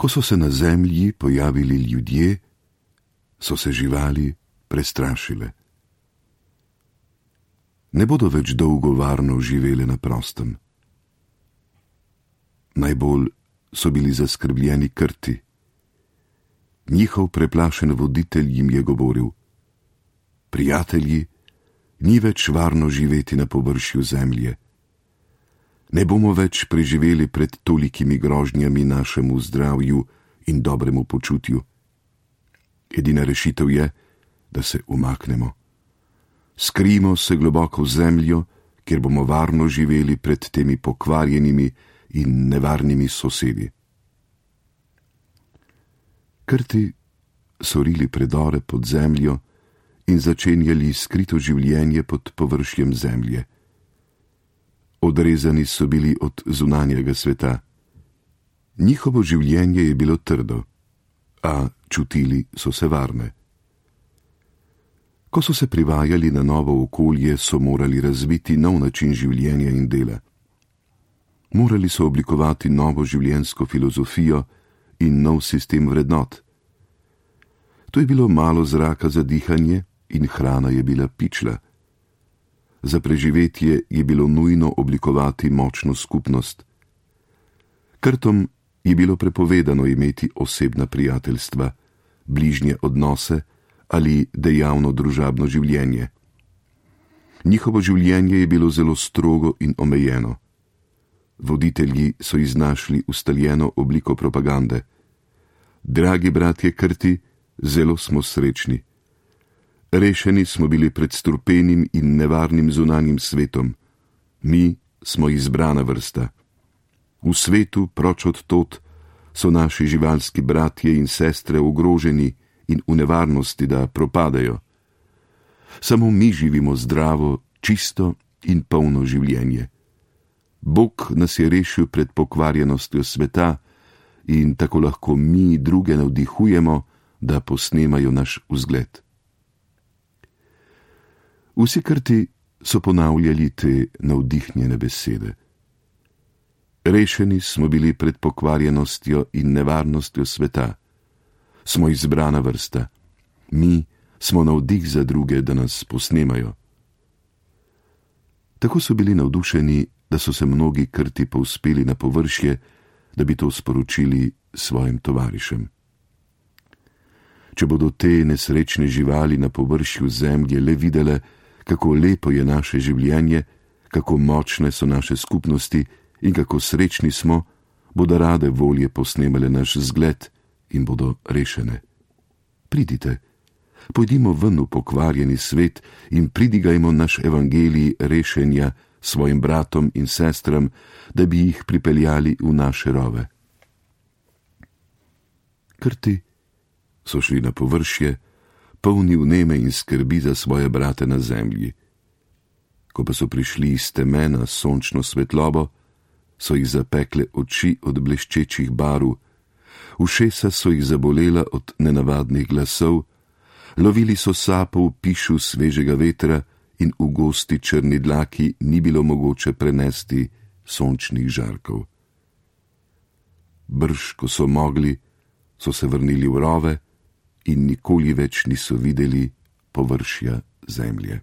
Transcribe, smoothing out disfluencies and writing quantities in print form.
Ko so se na zemlji pojavili ljudje, so se živali prestrašile. Ne bodo več dolgo varno živele na prostem. Najbolj so bili zaskrbljeni krti. Njihov preplašen voditelj jim je govoril: prijatelji, ni več varno živeti na površju zemlje. Ne bomo več preživeli pred tolikimi grožnjami našemu zdravju in dobremu počutju. Edina rešitev je, da se umaknemo. Skrijmo se globoko v zemljo, kjer bomo varno živeli pred temi pokvarjenimi in nevarnimi sosedi. Krti so rili predore pod zemljo in začenjali skrito življenje pod površjem zemlje. Odrezani so bili od zunanjega sveta. Njihovo življenje je bilo trdo, a čutili so se varne. Ko so se privajali na novo okolje, so morali razviti nov način življenja in dela. Morali so oblikovati novo življenjsko filozofijo in nov sistem vrednot. To je bilo malo zraka za dihanje in hrana je bila pičla. Za preživetje je bilo nujno oblikovati močno skupnost. Krtom je bilo prepovedano imeti osebna prijateljstva, bližnje odnose ali dejavno družabno življenje. Njihovo življenje je bilo zelo strogo in omejeno. Voditelji so iznašli ustaljeno obliko propagande. Dragi bratje Krti, zelo smo srečni. Rešeni smo bili pred strupenim in nevarnim zunanjim svetom. Mi smo izbrana vrsta. V svetu, proč od tod, so naši živalski bratje in sestre ogroženi in v nevarnosti, da propadajo. Samo mi živimo zdravo, čisto in polno življenje. Bog nas je rešil pred pokvarjenostjo sveta in tako lahko mi druge navdihujemo, da posnemajo naš vzgled. Vsi Krti so ponavljali te navdihnjene besede. Rešeni smo bili pred pokvarjenostjo in nevarnostjo sveta. Smo izbrana vrsta. Mi smo navdih za druge, da nas posnemajo. Tako so bili navdušeni, da so se mnogi Krti povzpeli na površje, da bi to sporočili svojim tovarišem. Če bodo te nesrečne živali na površju zemlje le videle, kako lepo je naše življenje, kako močne so naše skupnosti in kako srečni smo, bodo rade volje posnemale naš zgled in bodo rešene. Pridite, pojdimo ven v pokvarjeni svet in pridigajmo naš evangelij rešenja svojim bratom in sestram, da bi jih pripeljali v naše rove. Krti so šli na površje, polni vneme in skrbi za svoje brate na zemlji. Ko pa so prišli iz teme na sončno svetlobo, so jih zapekle oči od bleščečih barv, ušesa so jih zabolela od nenavadnih glasov, lovili so sapo v pišu svežega vetra in v gosti črni dlaki ni bilo mogoče prenesti sončnih žarkov. Brž, ko so mogli, so se vrnili v rove in nikoli več niso videli površja zemlje.